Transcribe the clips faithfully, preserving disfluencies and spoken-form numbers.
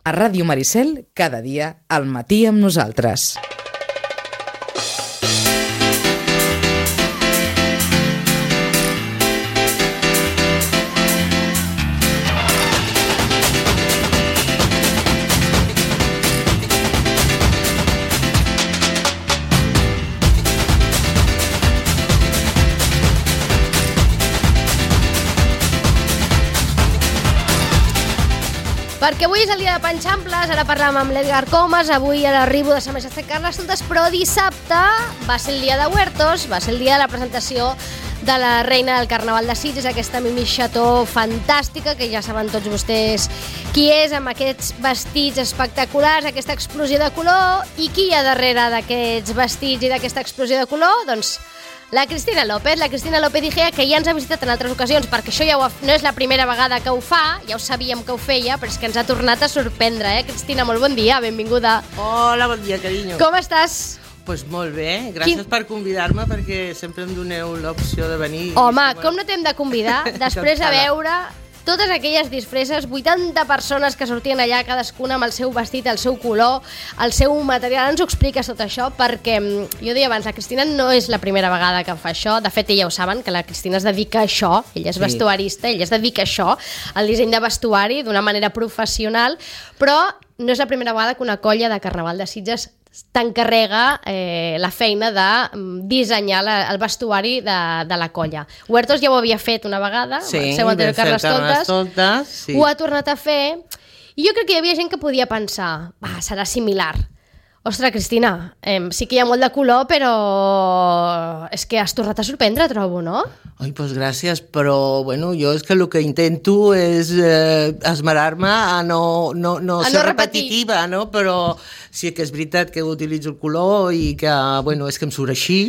A Ràdio Maricel, cada dia, al matí amb nosaltres. Perquè avui és el dia de Panxamples, ara parlàvem amb l'Edgar Comas, avui a l'arribo de Sant Majestat Carnestoltes, però dissabte va ser el dia de Huertos, va ser el dia de la presentació de la reina del Carnaval de Sitges, aquesta Mimi Chateau fantàstica, que ja saben tots vostès qui és, amb aquests vestits espectaculars, aquesta explosió de color. I qui hi ha darrere d'aquests vestits i d'aquesta explosió de color? Doncs la Cristina López, la Cristina López Igea, que ja ens ha visitat en altres ocasions, perquè això ja ho ha, no és la primera vegada que ho fa, ja ho sabíem que ho feia, però és que ens ha tornat a sorprendre, eh? Cristina, molt bon dia, benvinguda. Hola, bon dia, carinyo. Com estàs? Pues molt bé, gràcies Quin... per convidar-me, perquè sempre em doneu l'opció de venir. Home, com no t'hem de convidar? Després de veure totes aquelles disfresses, vuitanta persones que sortien allà, cadascuna amb el seu vestit, el seu color, el seu material. Ara ens ho expliques tot això, perquè jo deia abans, la Cristina no és la primera vegada que fa això. De fet, ella ho saben, que la Cristina es dedica a això, ella és sí. vestuarista, ella es dedica a això, al disseny de vestuari, d'una manera professional, però no és la primera vegada que una colla de Carnaval de Sitges t'encarrega eh, la feina de dissenyar la, el vestuari de, de la colla. Huertos ja ho havia fet una vegada, sí, el seu anterior Carnestoltes, sí. ho ha tornat a fer, i jo crec que hi havia gent que podia pensar, va, serà similar. Ostres, Cristina, eh, sí que hi ha molt de color, però és que has tornat a sorprendre, trobo, no? Ai, doncs gràcies, però bueno, jo és que el que intento és eh, esmerar-me a no, no, no a ser no repetitiva, no? Però sí que és veritat que utilitzo el color i que, bueno, és que em surt així,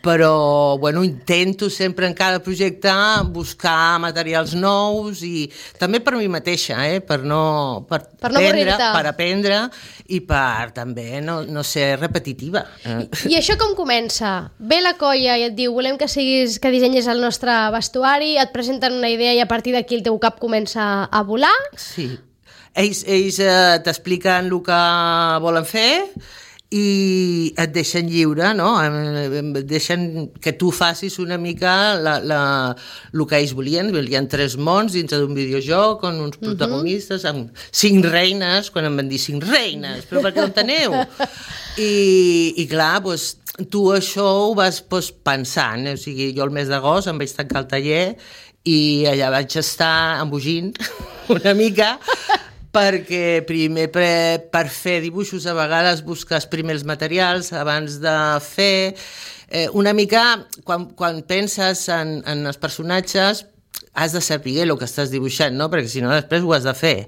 però bueno, intento sempre en cada projecte buscar materials nous i també per mi mateixa, eh? per no, per per no aprendre, avorrir-te. per aprendre i per també no, no ser repetitiva. I, I això com comença? Ve la colla i et diu volem que siguis, que dissenyis el nostre vestuari, et presenten una idea i a partir d'aquí el teu cap comença a volar? Sí. Ells, ells eh, t'expliquen el que volen fer i et deixen lliure, no? Et deixen que tu facis una mica la, la, el que ells volien. Hi ha tres mons dins d'un videojoc on uns protagonistes uh-huh. amb cinc reines, quan em van dir cinc reines, però per què no en teniu? I, i clar, doncs, tu això ho vas doncs, pensant, o sigui, jo el mes d'agost em vaig tancar al taller i allà vaig estar embogint una mica perquè primer per, per fer dibuixos a vegades busques primer els materials abans de fer. Eh, una mica, quan, quan penses en, en els personatges, has de saber el que estàs dibuixant, no? Perquè si no després ho has de fer.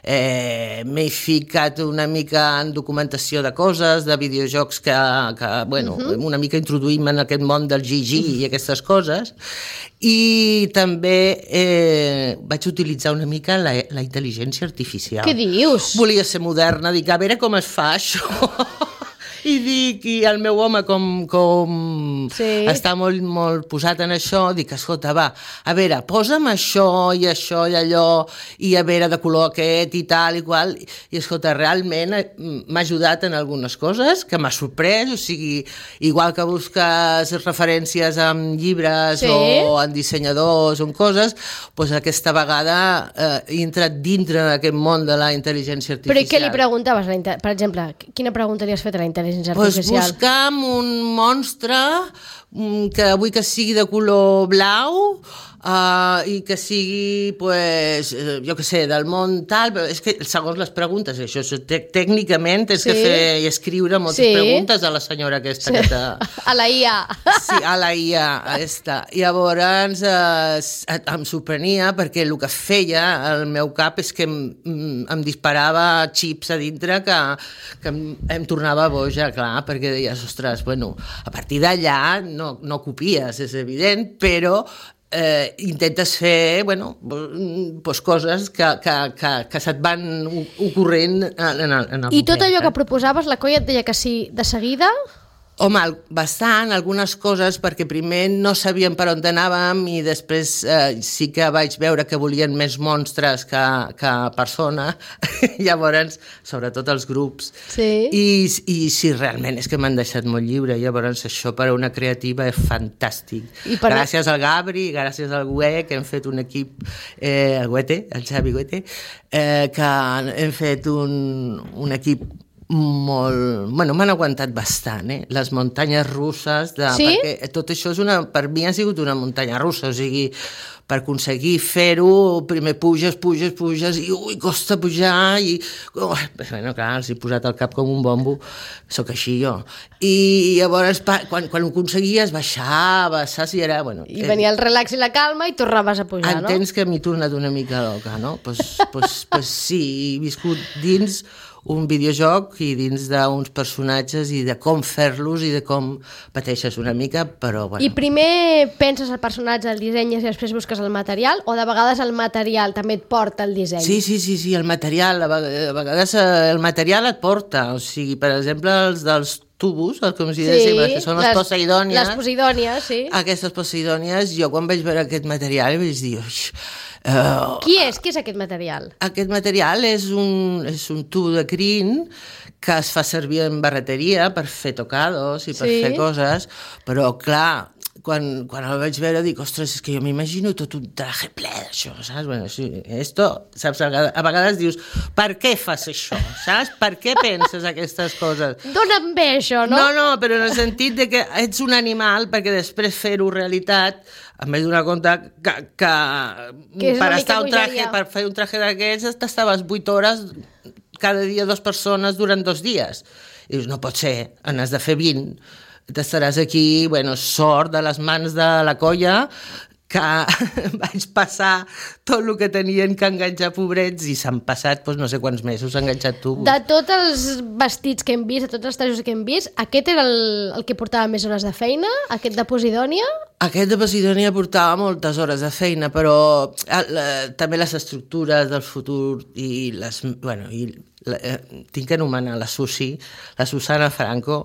Eh, M'he ficat una mica en documentació de coses, de videojocs que, que bueno, uh-huh. una mica introduïm en aquest món del G G i aquestes coses, i també eh, vaig utilitzar una mica la, la intel·ligència artificial. Què dius? Volia ser moderna, dic, a veure com es fa això. I dic, i el meu home com, com sí. està molt, molt posat en això, dic, escolta, va, a veure, posa'm això i això i allò, i a veure de color aquest i tal i qual, i escolta, realment m'ha ajudat en algunes coses que m'ha sorprès, o sigui, igual que busques referències en llibres sí. o en dissenyadors o en coses, doncs aquesta vegada eh, he entrat dintre d'aquest món de la intel·ligència artificial. Però i què li preguntaves, per exemple, quina pregunta li has fet a la intel·ligència Pues buscam un monstre que vull que sigui de color blau uh, i que sigui, pues, jo què sé, del món tal, però és que segons les preguntes, això tècnicament tens sí. que fer i escriure moltes sí. preguntes a la senyora aquesta sí. que te... A la I A. Sí, a la I A, aquesta. I llavors eh, em sorprenia perquè el que feia el meu cap és que em, em disparava xips a dintre que, que em, em tornava boja, clar, perquè deies, ostres, bueno, a partir d'allà no, no copies, és evident, però eh, intentes fer, bueno, pues coses que, que, que, que se't van ocorrent en el, en el I tot moment, allò eh? que proposaves, la colla et deia que sí de seguida? Home, bastant, algunes coses, perquè primer no sabíem per on anàvem i després eh, sí que vaig veure que volien més monstres que, que persona, llavors, sobretot els grups. Sí. I, I sí, realment és que m'han deixat molt lliure, llavors això per a una creativa és fantàstic. Per... Gràcies al Gabri, gràcies al Güe, que hem fet un equip, eh, el Güete, el Xavi Güete, eh, que hem fet un, un equip molt... Bueno, m'han aguantat bastant, eh? Les muntanyes russes, de, sí? perquè tot això és una, per mi ha sigut una muntanya russa, o sigui, per aconseguir fer-ho, primer puges, puges, puges, i ui, costa pujar, i... Oh, bueno, clar, els he posat al cap com un bombo, sóc així jo. I llavors, quan, quan ho aconseguies, baixava, saps? I era, bueno... I venia el relax i la calma i tornaves a pujar, entens no? Entens que m'he tornat una mica loca, no? Doncs pues, pues, pues sí, he viscut dins un videojoc i dins d'uns personatges i de com fer-los i de com pateixes una mica, però bueno. I primer penses el personatge, el dissenyes i després busques el material, o de vegades el material també et porta el disseny? Sí, sí, sí, sí, el material, a vegades el material et porta, o sigui, per exemple, els dels tubos, com si sí, dèiem, que són les, les poseidònies. Les poseidònies, sí. Aquestes poseidònies, jo quan vaig veure aquest material vaig dir... Uh, Qui és? Qui és aquest material? Aquest material és un, és un tub de crin que es fa servir en barreteria per fer tocados i per sí. fer coses, però clar, quan, quan el vaig veure dic, ostres, és que jo m'imagino tot un traje ple d'això, saps? Bueno, sí, esto, saps? A vegades dius, per què fas això, saps? Per què penses aquestes coses? Dóna'm bé això, no? No, no, però en el sentit de que ets un animal perquè després fer-ho realitat em vaig donar compte que, que, que per estar un traje, per fer un traje d'aquests t'estaves vuit hores cada dia dues persones durant dos dies. I dius, no pot ser, n'has de fer vint. T'estaràs aquí, bueno, sort de les mans de la colla, que vaig passar tot el que tenien que enganxar, pobrets, i s'han passat, doncs, no sé quants mesos enganxat tubos. De tots els vestits que hem vist, de tots els trajos que hem vist, aquest era el, el que portava més hores de feina? Aquest de Posidònia? Aquest de Posidònia portava moltes hores de feina, però la, també les estructures del futur i les... Bueno, i la, eh, tinc que anomenar la Susi, la Susana Franco,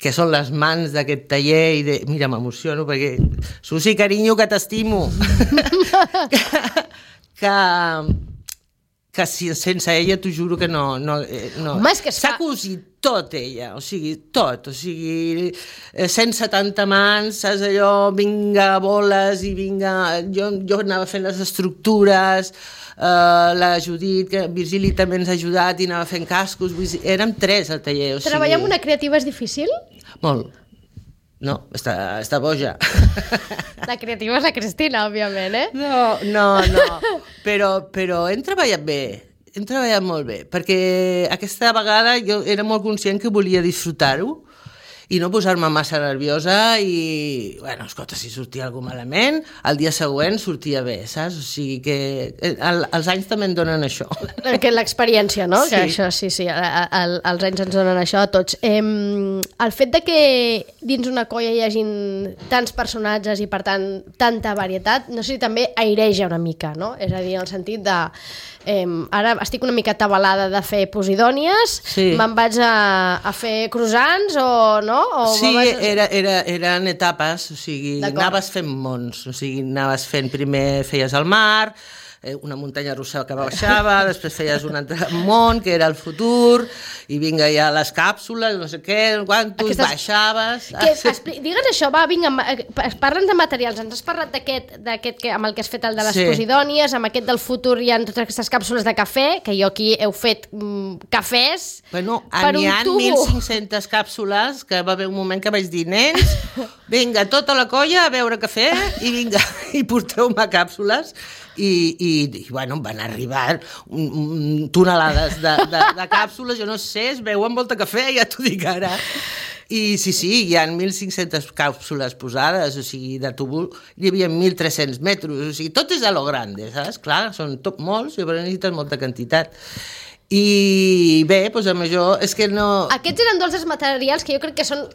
que són les mans d'aquest taller i de... Mira, m'emociono perquè... Susi, carinyo, que t'estimo! que... que... que si, sense ella t'ho juro que no... no, no. Home, és que s'ha fa... cosit tot ella, o sigui, tot, o sigui, cent setanta mans, saps allò, vinga, boles i vinga... Jo, jo anava fent les estructures, uh, la Judit, que Virgili també ens ha ajudat i anava fent cascos, vull dir, érem tres al taller, o sigui... Treballar amb una creativa és difícil? Molt. No, està, està boja. La creativa és la Cristina, òbviament, eh? No, no, no. Però, però hem treballat bé, hem treballat molt bé, perquè aquesta vegada jo era molt conscient que volia disfrutar-ho i no posar-me massa nerviosa i, bueno, escolta, si sortia algú malament, el dia següent sortia bé, saps? O sigui que el, els anys també en donen això. Que l'experiència, no? Sí. Que això, sí, sí, el, els anys ens donen això a tots. Eh, el fet de que dins una colla hi hagin tants personatges i, per tant, tanta varietat, no sé si també aireja una mica, no? És a dir, en el sentit de... Eh, ara estic una mica atabalada de fer posidònies, sí. Me'n vaig a, a fer croissants o no? O sí, vas... era, era, eren etapes, o sigui, anaves fent mons, o sigui, anaves fent, primer feies el mar, una muntanya russa que baixava, després feies un altre món, que era el futur, i vinga ja les càpsules, no sé què, quantos, Aquestes... baixaves... Que, expli... Digues això, va, vinga, parla'ns de materials, ens has parlat d'aquest que, amb el que has fet el de les sí. posidònies, amb aquest del futur hi ha totes aquestes càpsules de cafè, que jo aquí heu fet mm, cafès bueno, per n'hi un ha tubo. mil cinc-centes càpsules, que va haver un moment que vaig dir, nens, vinga, tota la colla a beure cafè, i vinga, i porteu-me càpsules, i, i, i bueno, van arribar un, un, tonelades de, de, de càpsules, jo no sé, es beuen molta cafè, ja t'ho dic ara. I sí, sí, hi ha mil cinc-centes càpsules posades, o sigui, de tubo hi havia mil tres-cents metres, o sigui, tot és a lo grande, saps? Clar, són tot molts, i necessites molta quantitat. I bé, doncs amb això és que no... Aquests eren dos dels materials que jo crec que són...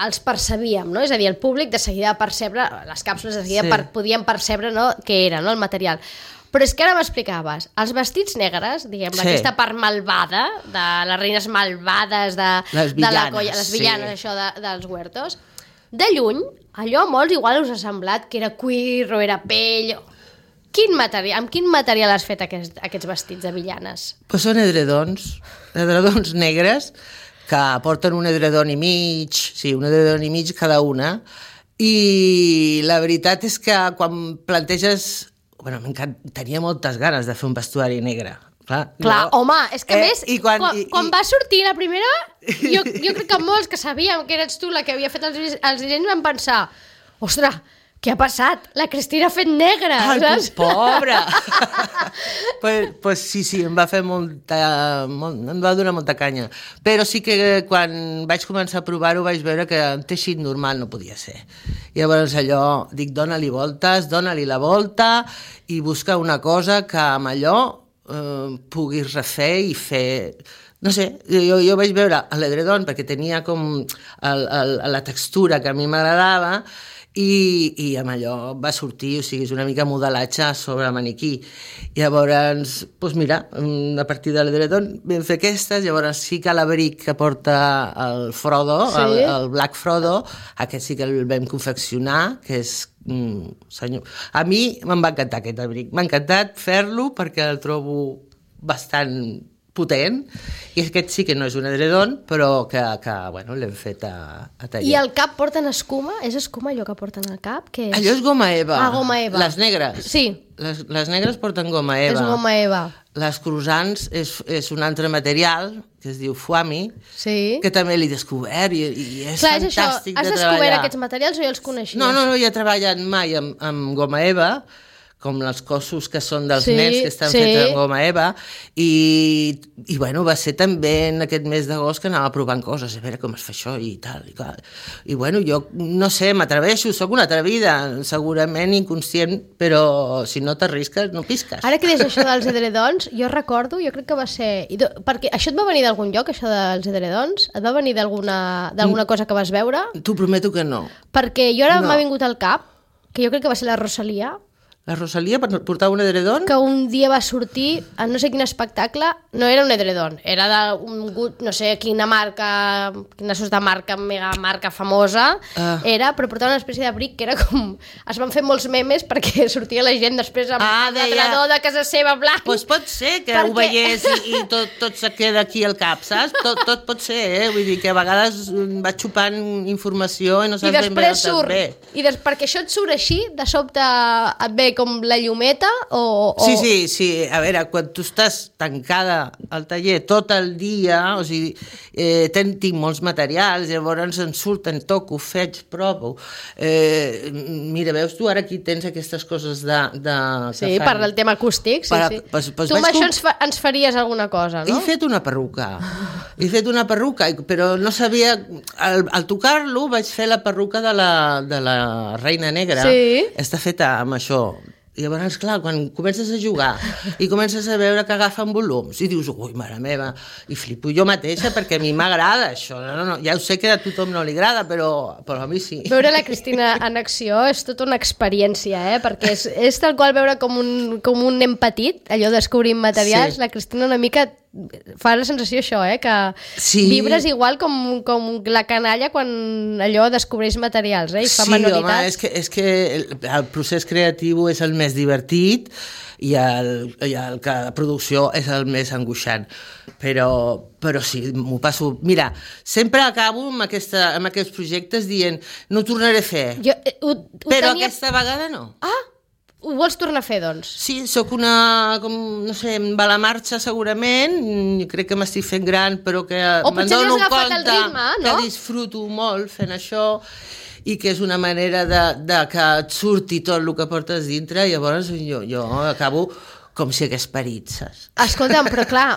els percebíem, no? És a dir, el públic de seguida percebre, les càpsules de seguida sí. per, podien percebre, no?, què era, no?, el material. Però és que ara m'explicaves, els vestits negres, diguem, Sí. aquesta part malvada, de les reines malvades, de, Les de la villanes, colla, les villanes, sí. això de, dels huertos, de lluny, allò a molts igual us ha semblat que era cuir o era pell... Quin material, amb quin material has fet aquests, aquests vestits de villanes? Pues són edredons, edredons negres, que porten un edredon i mig, sí, un edredon i mig cada una, i la veritat és que quan planteges... Bueno, tenia moltes ganes de fer un vestuari negre. Clar, Clar, no? home, és que Eh, més, i quan- quan, i- quan i- va sortir la primera, jo, jo crec que molts que sabíem que eres tu la que havia fet els, dise- els dissenys van pensar, ostres, què ha passat? La Cristina ha fet negra, Ai, saps? pobra! pues, pues sí, sí, em va fer molta... Molt, em va donar molta canya. Però sí que quan vaig començar a provar-ho vaig veure que un teixit normal no podia ser. I llavors allò, dic, dona-li voltes, dona-li la volta i busca una cosa que amb allò eh, puguis refer i fer... No sé, jo, jo vaig veure l'edredon perquè tenia com el, el, la textura que a mi m'agradava i, i amb allò va sortir, o sigui, és una mica modelatge sobre el maniquí. I llavors, doncs mira, a partir de l'edredon vam fer aquestes, llavors sí que l'abric que porta el Frodo, Sí. el, el Black Frodo, aquest sí que el vam confeccionar, que és... Mm, senyor. A mi me'n va encantar aquest abric, m'ha encantat fer-lo perquè el trobo bastant potent, i aquest sí que no és un edredon, però que, que bueno, l'hem fet a, a taller. I al cap porten escuma? És escuma allò que porten al cap? Què és? Allò és goma eva. Ah, goma eva. Les negres. Sí. Les, les negres porten goma eva. És goma eva. Les croissants és, és un altre material que es diu fuami, Sí. que també l'he descobert i, i és Clar, és això, fantàstic has de descobert treballar. aquests materials o ja els coneixies? No, no, no, jo he treballat mai amb, amb goma eva, com els cossos que són dels Sí, nens que estan sí. fets amb goma eva, i, i bueno, va ser també en aquest mes d'agost que anava provant coses, a veure com es fa això i tal, i tal. I bueno, jo no sé, m'atreveixo, sóc una atrevida, segurament inconscient, però si no t'arrisques, no pisques. Ara que dius això dels edredons, jo recordo, jo crec que va ser... i do- Perquè això et va venir d'algun lloc, això dels edredons? Et va venir d'alguna d'alguna cosa que vas veure? T'ho prometo que no. Perquè jo ara No. m'ha vingut al cap, que jo crec que va ser la Rosalia, La Rosalia portava un edredon? que un dia va sortir a no sé quin espectacle, no era un edredon, era d'un, no sé quina marca, quina sos de marca, mega marca famosa, Ah. era, però portava una espècie d'abric que era com... Es van fer molts memes perquè sortia la gent després amb Ah, el deia- retrador de casa seva blanc. Doncs pues pot ser que Perquè- ho veiés i, i tot, tot se queda aquí al cap, saps? Tot, tot pot ser, eh? Vull dir que a vegades mm, vaig xupant informació i no I saps ben bé després on surt, et ve. i des, perquè això et surt així, de sobte et ve com la llumeta o... o... Sí, sí, sí. A veure, quan tu estàs tancada al taller tot el dia, o sigui, eh, ten, tinc molts materials, llavors em surten, toco, faig, provo. Eh, mira, veus tu, ara aquí tens aquestes coses de... de Sí, per al tema acústic, sí, Per a- sí. pues- pues tu amb vaig això com- ens, fa, ens faries alguna cosa, no? He fet una perruca, he fet una perruca, i- però no sabia... Al, al tocar-lo vaig fer la perruca de la, de la Reina Negra. Sí. Està feta amb això. I llavors, clar, quan comences a jugar i comences a veure que agafen volums i dius, ui, mare meva, i flipo jo mateixa perquè a mi m'agrada això. No, no, ja ho sé que a tothom no li agrada, però, però a mi sí. Veure la Cristina en acció és tota una experiència, eh? Perquè és, és tal qual veure com un, com un nen petit, allò descobrint materials, Sí. la Cristina una mica fa la sensació això, eh? Que Sí. vibres igual com, com la canalla quan allò descobreix materials, eh? I fa Sí, manualitats. home, és que, és que el, el procés creatiu és el més divertit i el, i el que la producció és el més angoixant. Però, però sí, m'ho passo... Mira, sempre acabo amb, aquesta, amb aquests projectes dient no ho tornaré a fer, Jo, eh, ho, ho però tenia... aquesta vegada no. Ah, ho vols tornar a fer, doncs? Sí, sóc una, com, no sé, em va a la marxa segurament, mm, crec que m'estic fent gran, però que O me'n potser no has dono agafat el compte ritme, no? que disfruto molt fent això i que és una manera de, de que et surti tot el que portes dintre i llavors jo, jo acabo com si hagués parit, saps? Escolta'm, però clar,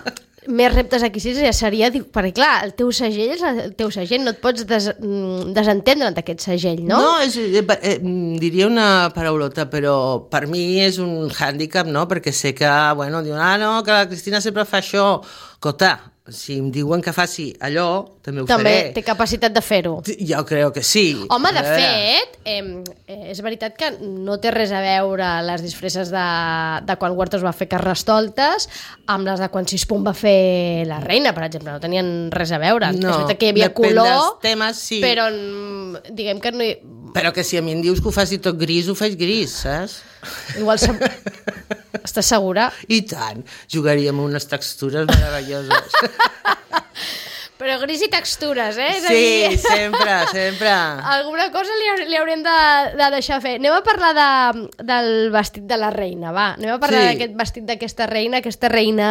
més reptes aquí sí ja seria... Perquè clar, el teu segell és el teu segell, no et pots des, mm, desentendre'n d'aquest segell, no? No, és, eh, eh, diria una paraulota, però per mi és un hàndicap, no? Perquè sé que, bueno, diuen, ah, no, que la Cristina sempre fa això. Cota, si em diuen que faci allò, també ho També faré. té capacitat de fer-ho. Jo crec que sí. Home, de A veure. fet, eh, és veritat que no té res a veure les disfresses de, de quan Huertos va fer Carnestoltes amb les de quan Sispun va fer la reina, per exemple. No tenien res a veure. No, és veritat que hi havia depèn color, dels temes, sí. però mm, diguem que no hi... Però que si a mi em dius que ho faci tot gris, ho faig gris, saps? Igual se... Estàs segura? I tant, jugaríem amb unes textures meravelloses. Però gris i textures, eh? És a Sí, dir... sempre, sempre. Alguna cosa li, haur- li haurem de, de deixar fer. Anem a parlar de, del vestit de la reina, va. Anem a parlar Sí. d'aquest vestit d'aquesta reina, aquesta reina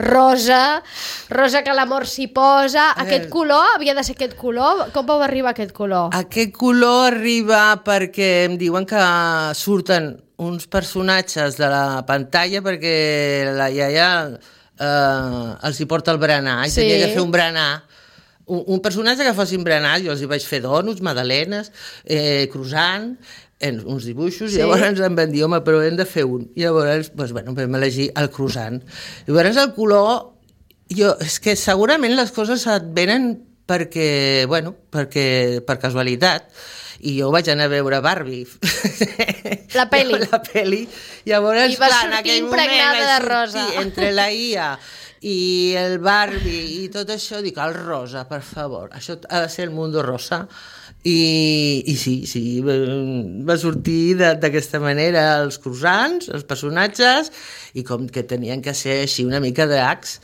rosa, rosa que l'amor s'hi posa. A Aquest veure. color, havia de ser aquest color? Com vau arribar a aquest color? Aquest color arriba perquè em diuen que surten uns personatges de la pantalla perquè la iaia eh, els hi porta el berenar i Sí. tenia que fer un berenar. Un, un personatge que fossin berenar, jo els hi vaig fer donuts, magdalenes, eh, croissant, en uns dibuixos, Sí. i llavors em van dir, home, però hem de fer un. I llavors, doncs, bueno, vam elegir el croissant. Llavors el color, jo, és que segurament les coses et venen perquè, bueno, perquè, per casualitat, i jo vaig anar a veure Barbie. La peli. La peli. Llavors, I va clar, en sortir aquell impregnada moment de vaig rosa. sortir entre la I A i el Barbie i tot això, dic, el rosa, per favor, això ha de ser el mundo rosa. I, i sí, sí, va, va sortir de- d'aquesta manera els croissants, els personatges, i com que tenien que ser així una mica dracs,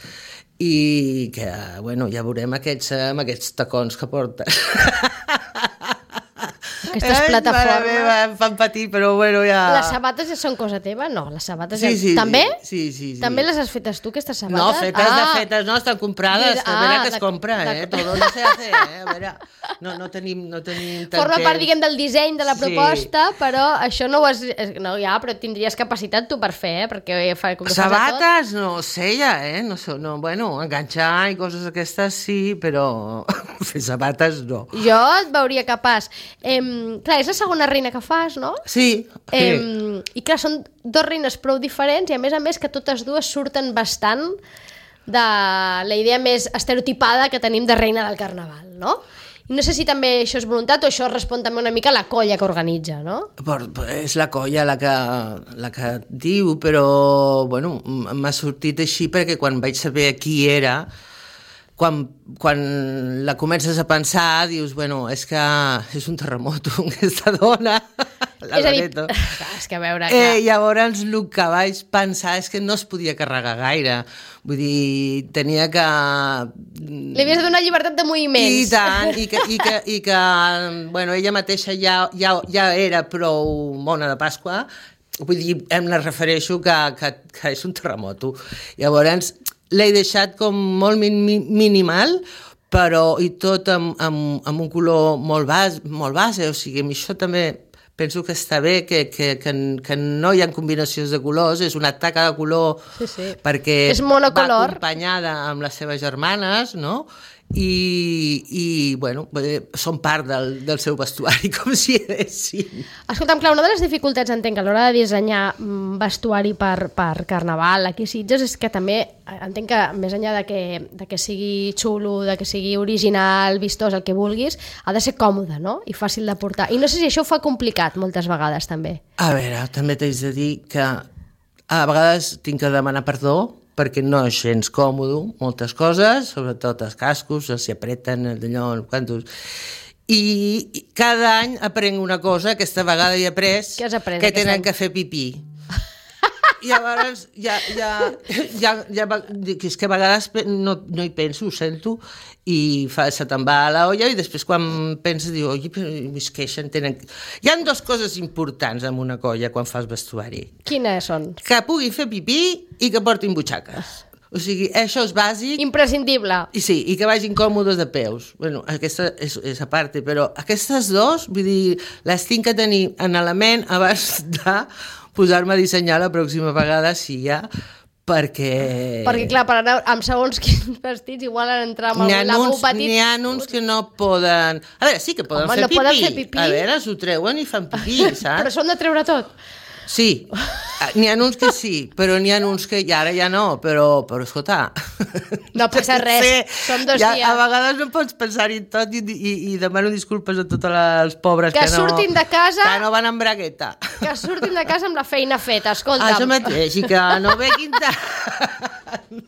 i que, bueno, ja veurem aquests, amb aquests tacons que porten. Aquestes Ai, plataformes. mare meva, em fan patir, però bueno, ja... Les sabates ja són cosa teva? No, les sabates Sí, ja... sí, també? sí, sí, sí. També les has fetes tu, aquestes sabates? No, fetes de fetes, no, estan comprades, Mira, a veure ah, que es d'ac- compra, eh? d'ac- Todo no se hace, eh? A veure, no, no tenim, no tenim tant Forma part, temps. diguem, del disseny de la Sí. proposta, però això no ho has... No, ja, però tindries capacitat tu per fer, eh? Perquè fa, com que fas de tot. Sabates, no sé ja, eh? No, sé, no, bueno, enganxar i coses aquestes sí, però fer sabates no. Jo et veuria capaç. Em, clar, és la segona reina que fas, no? Sí, sí. Em, I clar, són dos reines prou diferents i a més a més que totes dues surten bastant de la idea més estereotipada que tenim de reina del carnaval, no? I no sé si també això és voluntat o això respon també una mica a la colla que organitza, no? Por, és la colla la que, la que diu, però bueno, m- m'ha sortit així perquè quan vaig saber qui era, quan, quan la comences a pensar, dius, bueno, és que és un terremoto, aquesta dona, la és a dir, Loreto. clar, és que a veure... Clar. Eh, llavors el que vaig pensar és que no es podia carregar gaire, vull dir, tenia que... Li havies de donar llibertat de moviments. I tant, i que, i que, i que bueno, ella mateixa ja, ja, ja era prou mona de Pasqua, vull dir, em la refereixo que, que, que és un terremoto. Llavors, l'he deixat com molt min, min, minimal, però i tot amb, amb, amb un color molt, bas, molt base, o sigui, amb això també penso que està bé, que, que, que, que no hi ha combinacions de colors, és una taca de color Sí, sí. perquè És monocolor. va acompanyada amb les seves germanes, no? I, i bueno, eh, són part del, del seu vestuari, com si haguessin. Escolta'm, clar, una de les dificultats, entenc, a l'hora de dissenyar mm, vestuari per, per Carnaval aquí a Sitges és que també, entenc que més enllà de que, de que sigui xulo, de que sigui original, vistós, el que vulguis, ha de ser còmode, no? I fàcil de portar. I no sé si això ho fa complicat moltes vegades, també. A veure, també t'haig de dir que a vegades tinc que demanar perdó perquè no és gens còmode, moltes coses, sobretot els cascos, els s'hi apreten, d'allò, quantos... I cada any aprenc una cosa, aquesta vegada he après, Què has après que aquest tenen any? que fer pipí. I llavors ja, ja, ja, ja, és que a vegades no, no hi penso, ho sento, i fa, se te'n va a la olla i després quan penses diu, oi, però es queixen, tenen... Hi ha dues coses importants en una colla quan fas vestuari. Quines són? Que puguin fer pipí i que portin butxaques. O sigui, això és bàsic. Imprescindible. I sí, i que vagin còmodes de peus. Bueno, aquesta és, és a part, però aquestes dos, vull dir, les tinc que tenir en element abans de posar-me a dissenyar la pròxima vegada, si hi ha, perquè... Perquè, clar, per anar amb segons quins vestits, igual han d'entrar amb N'hi algun ha, lavabo uns, petit. n'hi ha uns que no poden... A veure, sí que poden, Home, fer, no pipí. poden fer pipí. A veure, s'ho treuen i fan pipí, saps? Però s'ho han de treure tot. Sí, n'hi ha uns que sí, però n'hi ha uns que ja, ara ja no, però, però escolta... No passa res, són dos ja, dies. A vegades no pots pensar-hi tot i, i, i demano disculpes a tots els pobres que, que, no, surtin de casa, que no van amb bragueta. Que surtin de casa amb la feina feta, escolta'm. Això mateix, i que no veguin tant.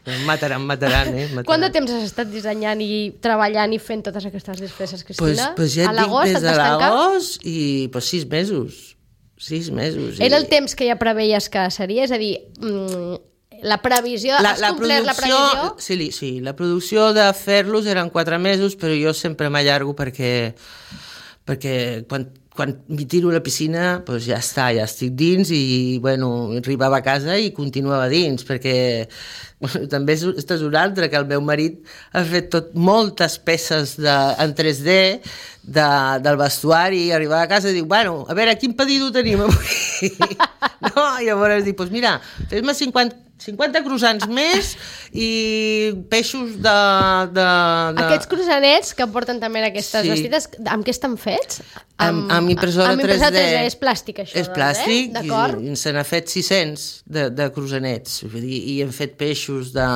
Em mataran, em mataran, eh? Mataran. Quant de temps has estat dissenyant i treballant i fent totes aquestes disfresses, Cristina? Pues, pues ja et dic, des de l'agost i pues, sis mesos. Sis mesos. Era i... el temps que ja preveies que seria? És a dir, mmm, la previsió... La, has la complert la previsió? Sí, sí, la producció de fer-los eren quatre mesos, però jo sempre m'allargo perquè, perquè quan quan m'hi tiro a la piscina, doncs ja està, ja estic dins i, bueno, arribava a casa i continuava dins, perquè bueno, també és, és una altra, que el meu marit ha fet tot, moltes peces de, en tres D de, del vestuari, i arribava a casa i diu, bueno, a veure, quin pedido tenim avui? No? I llavors dic, doncs mira, fes-me cinquanta, cinquanta croissants més i peixos de... de, de... Aquests croissanets que porten també en aquestes sí. vestides, amb què estan fets? Amb, amb impressora, amb impressora tres D. tres D. És plàstic, això. És plàstic, eh? i, i se n'ha fet sis-cents de, de croissanets. Vull dir, i hem fet peixos de,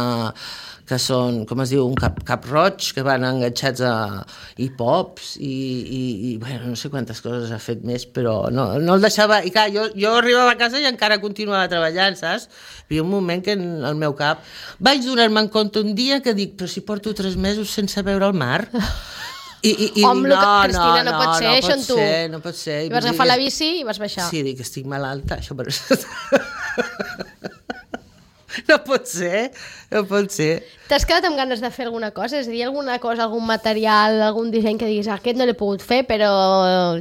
que són, com es diu, un cap, cap roig, que van enganxats a hip-hops, i, i, i bueno, no sé quantes coses ha fet més, però no, no el deixava... I clar, jo, jo arribava a casa i encara continuava treballant, saps? Hi havia un moment que en el meu cap vaig donar-me en compte un dia que dic, però si porto tres mesos sense veure el mar... I, i, i Home, no, Cristina, no, no pot ser, no això en tu. Ser, no pot ser. I vas agafar la bici i vas baixar. Sí, dic que estic malalta, això per... No pot ser, no pot ser. T'has quedat amb ganes de fer alguna cosa? És a dir, alguna cosa, algun material, algun disseny que diguis, ah, aquest no l'he pogut fer, però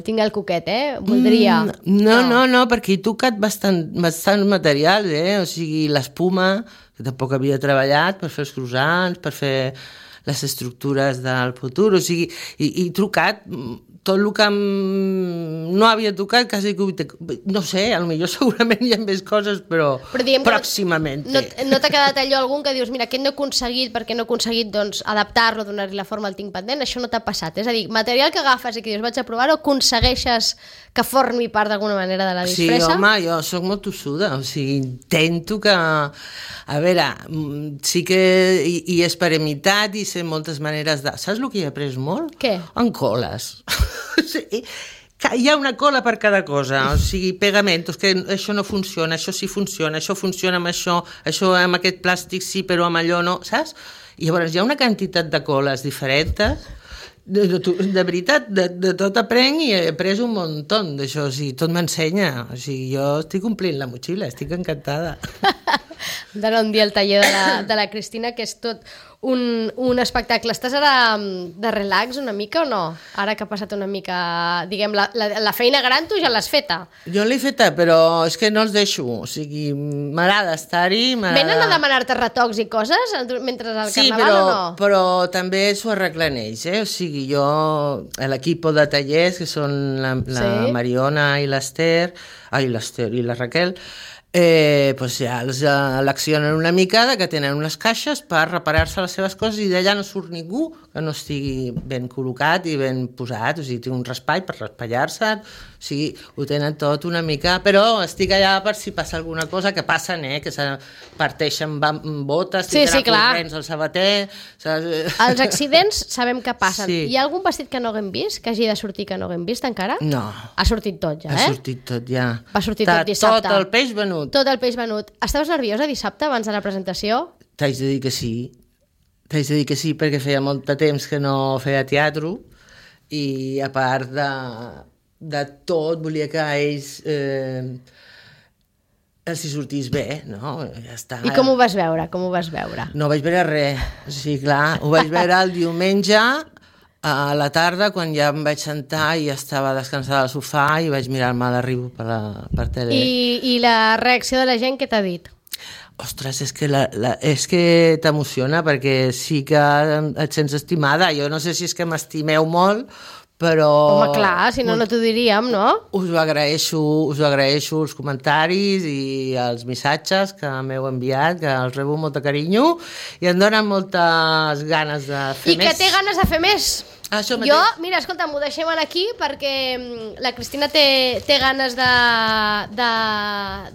tinc el coquet, eh? Voldria. Mm, no, no, no, perquè he tocat bastant, bastant materials, eh? O sigui, l'espuma, que tampoc havia treballat, per fer els croissants, per fer les estructures del futur, o sigui, i, i trucat tot el que no havia tocat, quasi que... No sé, potser segurament hi ha més coses, però, però pròximament. No, no t'ha quedat allò algun que dius, mira, aquest no he aconseguit, perquè no he aconseguit doncs, adaptar-lo, donar-li la forma al tinc pendent, això no t'ha passat. És a dir, material que agafes i que dius, vaig a provar-ho, aconsegueixes que formi part d'alguna manera de la disfressa? Sí, home, jo soc molt tossuda, o sigui, intento que... A veure, sí que hi, hi he experimentat i sé moltes maneres de... Saps el que he après molt? Què? En coles. Sí, hi ha una cola per cada cosa, o sigui, pegamentos, que això no funciona, això sí funciona, això funciona amb això, això amb aquest plàstic sí, però amb allò no, saps? I llavors hi ha una quantitat de coles diferents. De, de, de veritat, de, de tot aprenc i he après un muntó d'això, o sigui, tot m'ensenya, o sigui, jo estic omplint la motxilla, estic encantada. D'anar un dia al taller de la, de la Cristina, que és tot un, un espectacle. Estàs ara de relax una mica o no? Ara que ha passat una mica, diguem, la, la, la feina gran tu ja l'has feta. Jo l'he feta, però és que no els deixo, o sigui, m'agrada estar-hi, m'agrada... Venen a demanar-te retocs i coses mentre al sí, carnaval però, o no? però també s'ho arreglen ells, eh? O sigui, jo, l'equip de tallers, que són la, la sí. Mariona i l'Ester, ai, l'Ester i la Raquel, eh, doncs ja els uh, l'accionen una mica, que tenen unes caixes per reparar-se les seves coses i d'allà no surt ningú que no estigui ben col·locat i ben posat, o sigui, té un raspall per raspallar-se, o sigui, ho tenen tot una mica, però estic allà per si passa alguna cosa, que passen, eh, que se parteixen botes, sí, sí, corrents al sabater... Saps? Els accidents sabem que passen. Sí. Hi ha algun vestit que no haguem vist, que hagi de sortir que no haguem vist encara? No. Ha sortit tot ja, eh? Ha sortit tot ja. Va sortir tot dissabte. Tot el peix venut. Tot el peix venut. Estaves nerviosa dissabte abans de la presentació? T'haig de dir que sí. T'haig de dir que sí, perquè feia molt de temps que no feia teatre i a part de, de tot volia que ells eh, els hi sortís bé, no? Ja està. I com ho vas veure? Com ho vas veure? No vaig veure res. O sigui, clar, ho vaig veure el diumenge a la tarda, quan ja em vaig sentar i estava descansada al sofà i vaig mirar-me a l'arribo per, la, per tele. I, I la reacció de la gent, què t'ha dit? Ostres, és que, la, la, és que t'emociona, perquè sí que et sents estimada. Jo no sé si és que m'estimeu molt, però... Home, clar, si no, no t'ho diríem, no? Us ho agraeixo, us ho agraeixo els comentaris i els missatges que m'heu enviat, que els rebo amb molt de carinyo i em donen moltes ganes de fer I més. I que té ganes de fer més. Això jo, mira, escolta, m'ho deixem aquí perquè la Cristina té, té ganes de, de,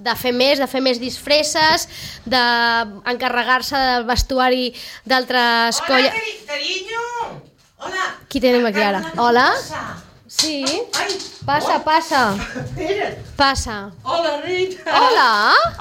de fer més, de fer més disfresses, d'encarregar-se del vestuari d'altres colles. Hola, carinyo! Hola! Qui tenim aquí ara? Hola? Sí? Ai, passa, passa. Espera't. Passa. Hola, Rita. Hola.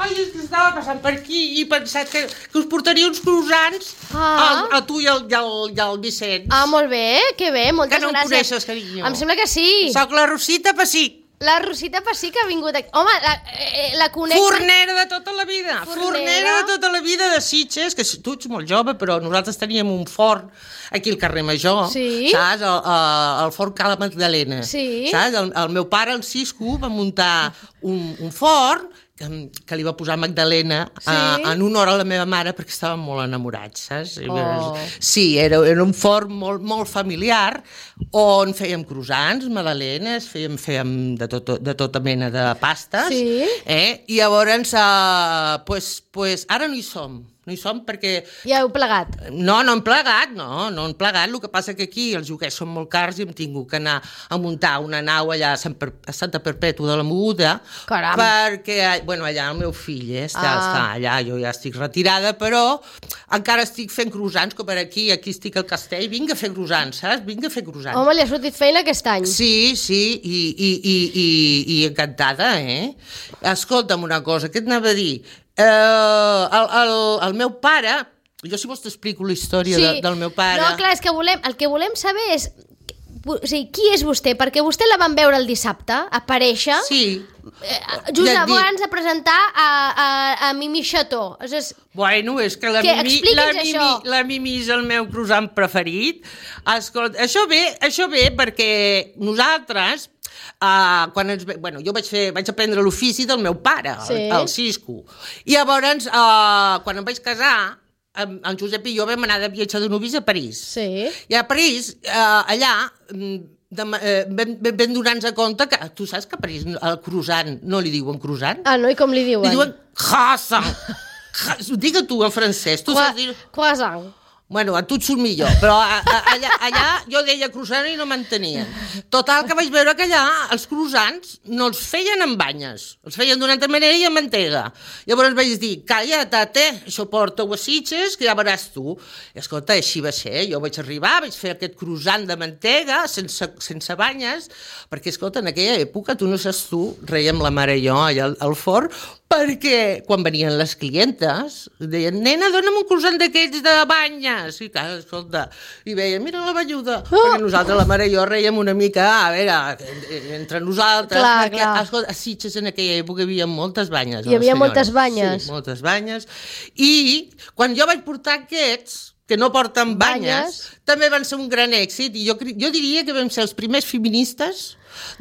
Ai, és que estava passant per aquí i he pensat que, que us portaria uns croissants Ah. a, a tu i al, i, al, i al Vicenç. Ah, molt bé, que bé, moltes Que no em gràcies. coneixes, carinyo. Em sembla que sí. Soc la Rosita Pessic. La Rosita Pessic ha vingut aquí. Home, la, eh, la conec... Fornera de tota la vida. Fornera. Fornera de tota la vida de Sitges, que tu ets molt jove, però nosaltres teníem un forn aquí al carrer Major, Sí. saps? El, el, el forn Cala Magdalena. Sí. Saps? El, el meu pare, el Cisco, va muntar un, un forn que, que li va posar Magdalena Sí. a, en honor a la meva mare perquè estaven molt enamorats, saps? Oh. Sí, era, era un forn molt, molt familiar on fèiem croissants, magdalenes, fèiem, fèiem de, tot, de tota mena de pastes. Sí. Eh? I llavors, uh, pues, pues, ara no hi som. No hi som perquè... Ja heu plegat. No, no hem plegat, no, no hem plegat. El que passa que aquí els joguers són molt cars i hem tingut que anar a muntar una nau allà a, Sant per... a Santa Perpètua de la Moguda. Caram. Perquè, bueno, allà el meu fill eh, està, Ah. està allà, jo ja estic retirada, però encara estic fent croissants, com per aquí, aquí estic al castell, vinga a fer croissants, saps? Vinga a fer croissants. Home, li ha sortit feina aquest any. Sí, sí, i, i, i, i, i encantada, eh? Escolta'm una cosa, què et anava a dir? Eh, el, el, el meu pare, jo si vols t'explico la història Sí. de, del meu pare. No, clar, és que volem, el que volem saber és... O sigui, qui és vostè? Perquè vostè la van veure el dissabte, aparèixer, Sí. eh, just Ja et dic. abans de presentar a, a, a Mimi Chateau. És, Bueno, és que la Què? Mimi, la, Expliqui'ns Mimi, això. la Mimi és el meu croissant preferit. Escolta, això ve, això ve perquè nosaltres, uh, quan ens, ve- bueno, jo vaig, fer, vaig aprendre l'ofici del meu pare, Sí. el, el Cisco. I llavors, uh, quan em vaig casar, en, en Josep i jo vam anar de viatge de novis a París. sí. I a París, eh, allà, mm, de, eh, vam, vam donar-nos compte que, tu saps que a París el croissant no li diuen croissant? Ah, no? I com li diuen? Li diuen croissant. Digue tu en francès, tu Croa- saps dir... Croissant. Bueno, a tu et surt millor, però a, a, allà, allà jo deia croissant i no m'entenien. Total, que vaig veure que allà els croissants no els feien amb banyes, els feien d'una altra manera i amb mantega. Llavors vaig dir, calla, tate, això porta-ho a Sitges, que ja veuràs tu. I escolta, així va ser, jo vaig arribar, vaig fer aquest croissant de mantega, sense, sense banyes, perquè, escolta, en aquella època, tu no saps tu, reiem la mare i jo allà al, al forn, perquè quan venien les clientes deien, nena, dona'm un croissant d'aquests de banyes. I clar, escolta, i veien, mira la velluda. Oh! Perquè nosaltres, la mare i jo, reiem una mica, a veure, entre nosaltres. Clar, perquè, clar. escolta, a Sitges en aquella època hi havia moltes banyes. Hi havia senyores. moltes banyes. Sí, moltes banyes. I quan jo vaig portar aquests, que no porten banyes, Banyes. també van ser un gran èxit. I jo, cre- jo diria que vam ser els primers feministes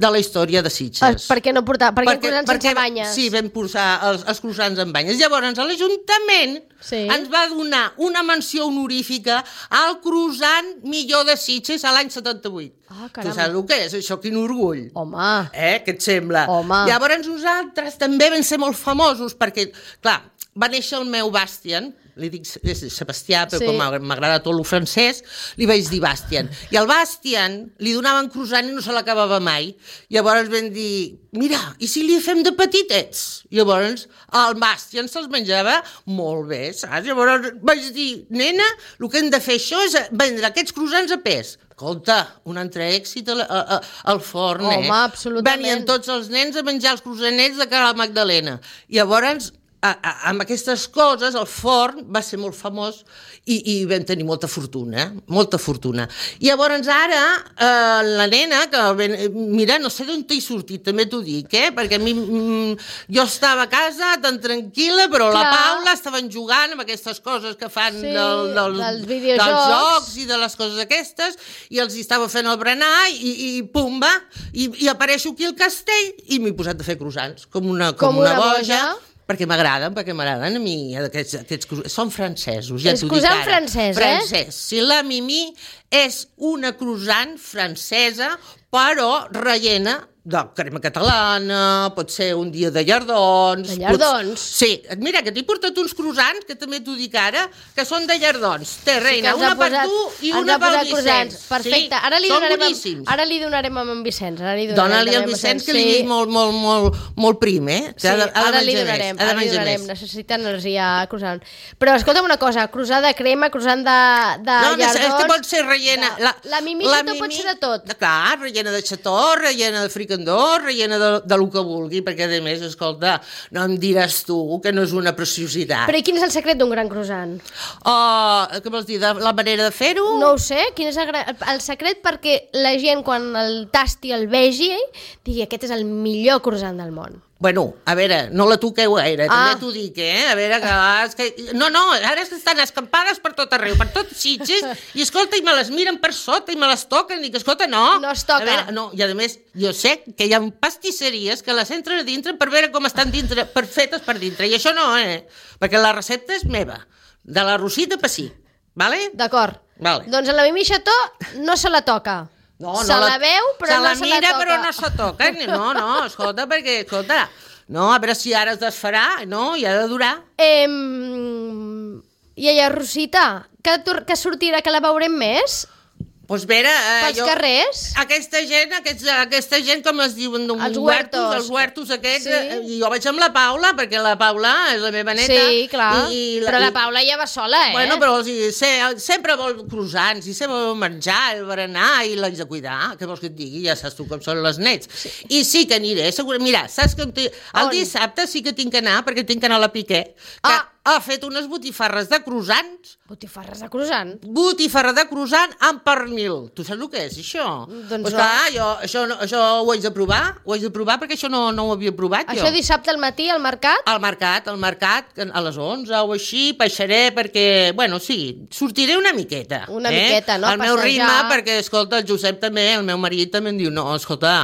de la història de Sitges. Ah, per què no portar? Per què croissants sense banyes? Sí, vam posar els, els croissants amb banyes. Llavors, l'Ajuntament Sí. ens va donar una menció honorífica al croissant millor de Sitges a l'any setanta-vuit. Ah, tu caram. saps el que és això? Quin orgull. Home, Eh? Què et sembla? Home. Llavors nosaltres també vam ser molt famosos perquè, clar, va néixer el meu Bastian, li dic és Sebastià, però Sí. com m'agrada tot el francès, li vaig dir Bastian. I al Bastian li donaven croissant i no se l'acabava mai. Llavors vam dir, mira, i si li fem de petitets? Llavors el Bastian se'ls menjava molt bé, saps? Llavors vaig dir, nena, el que hem de fer això és vendre aquests croissants a pes. Escolta, un altre èxit al, a, a, al forn, eh? Home, absolutament. Venien tots els nens a menjar els croissanets de Cala Magdalena. I llavors, a, a, amb aquestes coses, el forn va ser molt famós i, i vam tenir molta fortuna, eh? Molta fortuna. I llavors ara, eh, la nena, que ben, mira, no sé d'on t'he sortit, també t'ho dic, eh? Perquè a mi, mm, jo estava a casa tan tranquil·la, però Clar. la Paula estaven jugant amb aquestes coses que fan Sí, del, del, dels videojocs. dels jocs i de les coses aquestes, i els hi estava fent el berenar i, i pum, va, i, i apareixo aquí al castell i m'he posat a fer croissants, com una, com Com una, una boja, boja. perquè m'agraden, perquè m'agraden a mi aquests, aquests croissants. Són francesos, ja És t'ho dic croissant ara. francès, eh? Francès. Si la Mimi és una croissant francesa, però rellena de crema catalana, pot ser un dia de llardons... De llardons? Pots... Sí, mira, que t'he portat uns croissants, que també t'ho dic ara, que són de llardons. Té, reina, sí, una per posat, tu i una pel Vicenç. Perfecte, sí, ara, li donarem amb, boníssims. ara li donarem amb en Vicenç. Dóna-li al Vicenç, que li sí. dic molt, molt, molt, molt prim, eh? Sí, ha de, ha ara de li donarem, més, ara li donarem. Necessita energia croissant. Però escolta'm una cosa, croissant de crema, croissant de, de no, llardons... No, pot ser rellena... De, la, la mimixa la pot ser de tot. Clar, rellena de xató, rellena de fricandó, rellena de, de lo que vulgui, perquè a més, escolta, no em diràs tu que no és una preciositat. Però i quin és el secret d'un gran croissant? Oh, què vols dir, de la manera de fer-ho? No ho sé, quin és el, el secret perquè la gent quan el tasti, el vegi, digui aquest és el millor croissant del món. Bueno, a veure, no la toqueu gaire, ah. també t'ho dic, eh? A veure, que, és que... No, no, ara estan escampades per tot arreu, per tot Sitges, i escolta, i me les miren per sota, i me les toquen, i que escolta, no. No es toca. A veure, no, i a més, jo sé que hi ha pastisseries que les entren a dintre per veure com estan dintre, per fetes per dintre, i això no, eh? Perquè la recepta és meva, de la Rosita Passí, vale? D'acord. Vale. Doncs a la Mimi Xató no se la toca. No, no se la, la veu, però se no la se mira, la toca. però no se toca. No, no, escolta, perquè, escolta, no, a veure si ara es desfarà, no, i ha de durar. Eh, iaia Rosita, que, que sortirà, que la veurem més? Doncs vera, eh, pels jo, carrers? Aquesta gent, aquests, aquesta gent, com es diuen, els huertos, els huertos aquests, sí. eh, i jo vaig amb la Paula, perquè la Paula és la meva neta. Sí, clar, i, i la, però la i, Paula ja va sola, eh? Bueno, però o sigui, se, sempre vol croissants, i sempre vol menjar, el berenar, i l'haig de cuidar, què vols que et digui? Ja saps tu com són les nets. Sí. I sí que aniré, segurament, mira, saps que el dissabte sí que tinc que anar, perquè tinc que anar a la Piqué, que ah. ha fet unes botifarres de croissants. Botifarres de croissant? Botifarra de croissant amb pernil. Tu saps el que és, això? Doncs pues no. Clar, jo, això, això ho haig de provar, ho haig de provar perquè això no, no ho havia provat això jo. Això dissabte al matí al mercat? Al mercat, al mercat, a les onze o així, baixaré perquè, bueno, sí, sortiré una miqueta. Una eh? miqueta, no? Al meu passejar. ritme, perquè, escolta, el Josep també, el meu marit també em diu, no, escolta,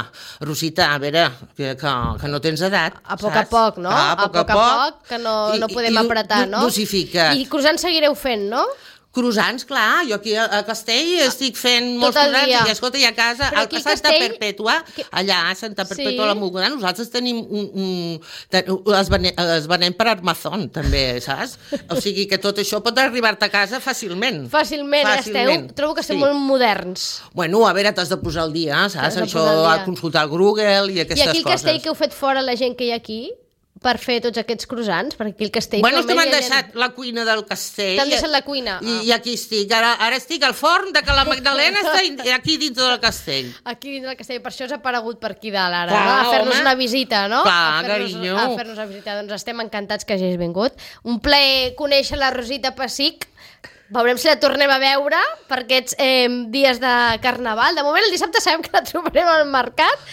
Rosita, a veure, que, que, que no tens edat, a poc saps? a poc, no? Ah, a, a poc poc a poc, que no, I, no podem i, apretar, i, no? Dosifica. I croissants seguireu fent, no? Croissants, clar, jo aquí a Castell estic fent molts croissants i escolta, i a casa, al, a Santa Castell... Perpètua, que... allà a Santa Perpètua sí. la Mogoda, nosaltres tenim un... un les, venem, les venem per Amazon, també, saps? O sigui que tot això pot arribar-te a casa fàcilment. Fàcilment, fàcilment. Esteu, trobo que estem sí. molt moderns. Bueno, a veure, t'has de posar al dia, saps? Això, a consultar el Google i aquestes coses. I aquí el Castell que heu fet fora la gent que hi ha aquí? Per fer tots aquests croissants, perquè aquí el Castell... Bueno, és que m'han deixat la cuina del Castell. T'han deixat la cuina? I, ah. i aquí estic. Ara, ara estic al forn de que la Magdalena està aquí dins del Castell. Aquí dins del Castell, per això s'ha aparegut per aquí dalt ara, clar, no? A fer-nos una visita, no? Clar, carinyo. A fer-nos una visita. Doncs estem encantats que hagis vingut. Un plaer conèixer la Rosita Passic. Veurem si la tornem a veure per aquests eh, dies de Carnaval. De moment, el dissabte sabem que la trobarem al mercat.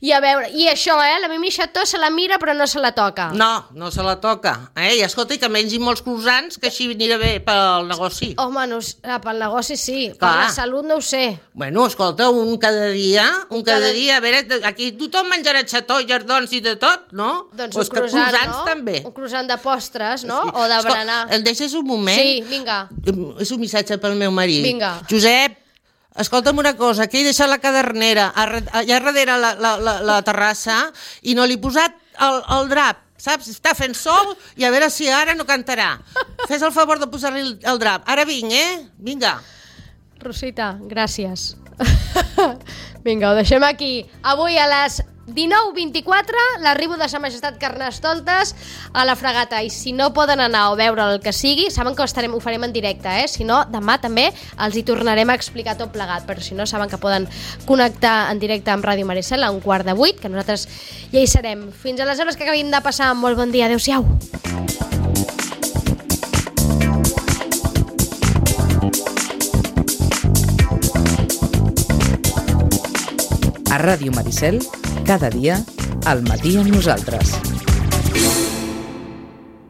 I a veure, i això, eh, la Mimi Xató se la mira però no se la toca. No, no se la toca. Eh? I escolta, que mengi molts croissants, que així anirà bé pel negoci. Home, no, pel negoci sí, clar. Per la salut no ho sé. Bueno, escolta, un cada dia, un cada, cada dia, a veure, aquí tothom menjarà xató, llardons i de tot, no? Doncs pues un croissant, croissants no? també. Un croissant de postres, no? Sí. O de berenar. Escolta, el deixes un moment? Sí, vinga. És un missatge pel meu marit. Vinga. Josep, escolta'm una cosa, que he deixat la cadernera allà darrere la, la, la, la terrassa i no li he posat el, el drap, saps? Està fent sol i a veure si ara no cantarà. Fes el favor de posar-li el, el drap. Ara vinc, eh? Vinga. Rosita, gràcies. Vinga, ho deixem aquí. Avui a les dinou vint-i-quatre, l'arribo de Sa Majestat Carnestoltes a la Fragata, i si no poden anar o veure el que sigui, saben que ho, estarem, ho farem en directe, eh? Si no, demà també els hi tornarem a explicar tot plegat, però si no, saben que poden connectar en directe amb Ràdio Maricel a un quart de vuit, que nosaltres ja hi serem. Fins a les hores que acabin de passar, molt bon dia, adeu-siau. A Ràdio Maricel, cada dia, al matí amb nosaltres.